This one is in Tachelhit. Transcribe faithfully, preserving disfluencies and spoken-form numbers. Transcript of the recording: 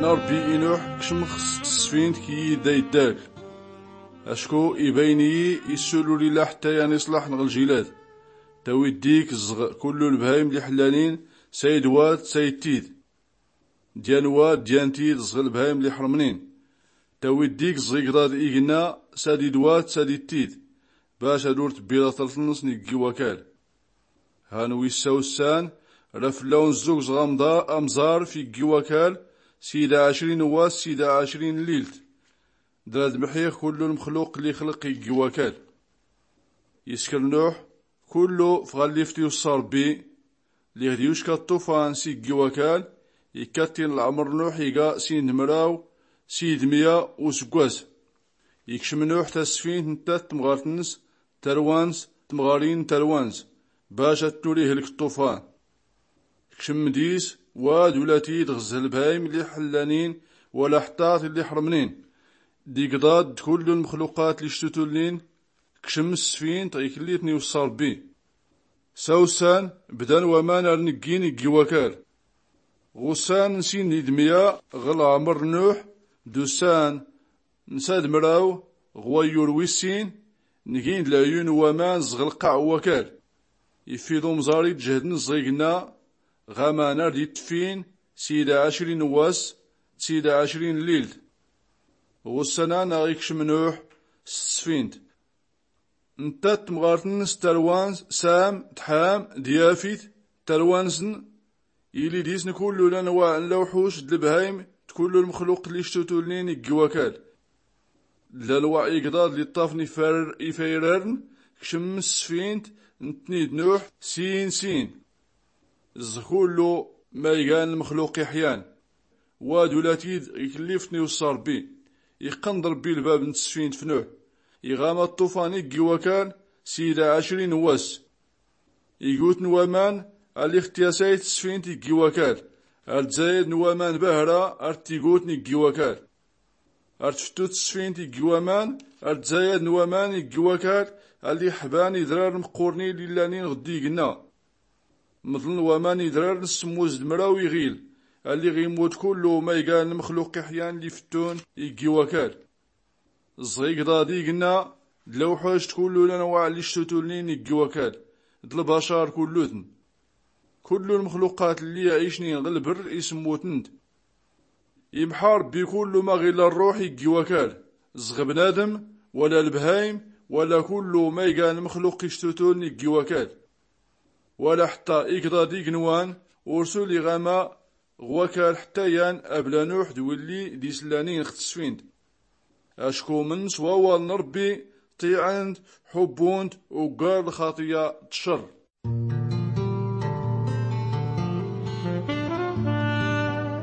N-rbbi i-nuḥ kcmx s-tsfint kiyyi d-ayddak. Acku ibayn-iyi issulul-illa ḥtta yan iṣlaḥ n-ɣ-ljilad. Tawi-d-ik zɣ-kullu lbhayim liḥllanin, sayd-wad sayd-tid, dyan-wad dyan-tid zɣ-lbhayim liḥrmnin. Tawi-d-ik zɣ-igḍad ignna, sadid-wad sadid-tid, bac ad-ur-tbbi laṭrtn s-n-iggi wakal. Han wissa ussan, ra fllawn zzug zɣ-amḍar amẓar f-iggi wakal, sida ɛcrin n-wass sida ɛcrin n-llilt. Dra-d-mḥix kullu lmxluq lli xlq iggi wakal. Iskr nuḥ kullu f-ɣallift iwṣṣa rbbi. Lliɣ d-yucka ṭṭufan s-iggi wakal. Ikka-t-in lɛmr nuḥ iga sin d-mraw, sid mya usggwas. Ikcm nuḥ tasfint ntta d-tmɣart-ns, tarwa-ns d-tmɣarin n-tarwa-ns, bac ad-tnur ihlk ṭṭufan. Kcm dis wad ula-t-id ɣ-zzh lbhayim lli-ḥllanin, wala ḥtta t-lli-ḥrmnin, d-igḍad d-kullu lmxluqat lli-ctutulnin. Kcm s-tsfint ɣ-iklli-tn-iwṣṣa rbbi. Sawssan bdan waman ar-nggin iggi wakal. Ɣ-ussan n-sin d-mya ɣ-lɛmr nuḥ, d-ussan n-sad mraw ɣ-wayyur wis-sin, nggin-d leɛyun n-waman zɣ-lqaɛ n-wakal. Iffi d-umẓar-id jhd-ns zɣ-ignna, ɣ-aman ar-d-itffin sida ɛcrin n-wass d-sida ɛcrin n-llilt. Ɣ-ussan-an aɣ-ikcm nuḥ s-tsfint. Ntta d-tmɣart-ns tarwa-ns, sam d-ḥam d-yafit, tarwa-nsn, ili dis-n kullu lanwaɛ n-lawḥuc d-lbhayim d-kullu lmxluq lli-ctutulnin iggi wakal. D-lanwaɛ igḍad lli-ṭṭafn ifayrar-n. Kcm s-tsfint nttni d-nuḥ sin sin zɣ-kullu ma igan lmxluq iḥyan. Wad ula-t-id ɣ-iklli-tn-iwṣṣa rbbi. Iqqn-d rbbi lbab n-tsfint f-nuḥ, iɣama ṭṭufan iggi wakal sida ɛcrin n-wass. Igutn waman alli ɣ-tyasayt tsfint iggi wakal, ar-dzayadn waman bahra ar-tigutn iggi wakal. Ar-tfttut tsfint iggi waman, ar-dzayadn waman iggi wakal, alli ḥban idrar mqqurnin lli-llanin ɣ-dd-ignna. Mḍln waman idrar n-smmuz d-mraw iɣil, alli ɣ-immut kullu ma igan lmxluq iḥyan lli-fttun iggi wakal. Zɣ-igḍad ignna, d-lawḥuc d-kullu lanwaɛ lli-ctutulnin iggi wakal, d-lbacar kullutn. Kullu lmxluqat lli-iɛicnin ɣ-lbrr ismmutn-d. Imḥa rbbi kullu ma ɣ-illa rruḥ iggi wakal, zɣ-bnadm wala lbhayim, wala kullu ma igan lmxluq ictutuln iggi wakal. Wala ḥtta igḍad ignwan, ursul iɣama ɣ-wakal ḥtta yan abla nuḥ d-willi d-islanin ɣ-tsfint. Acku mn s-wawal n-rbbi, ṭṭiɛn-t, ḥubbun-t, uggar lxaṭiya d-cr.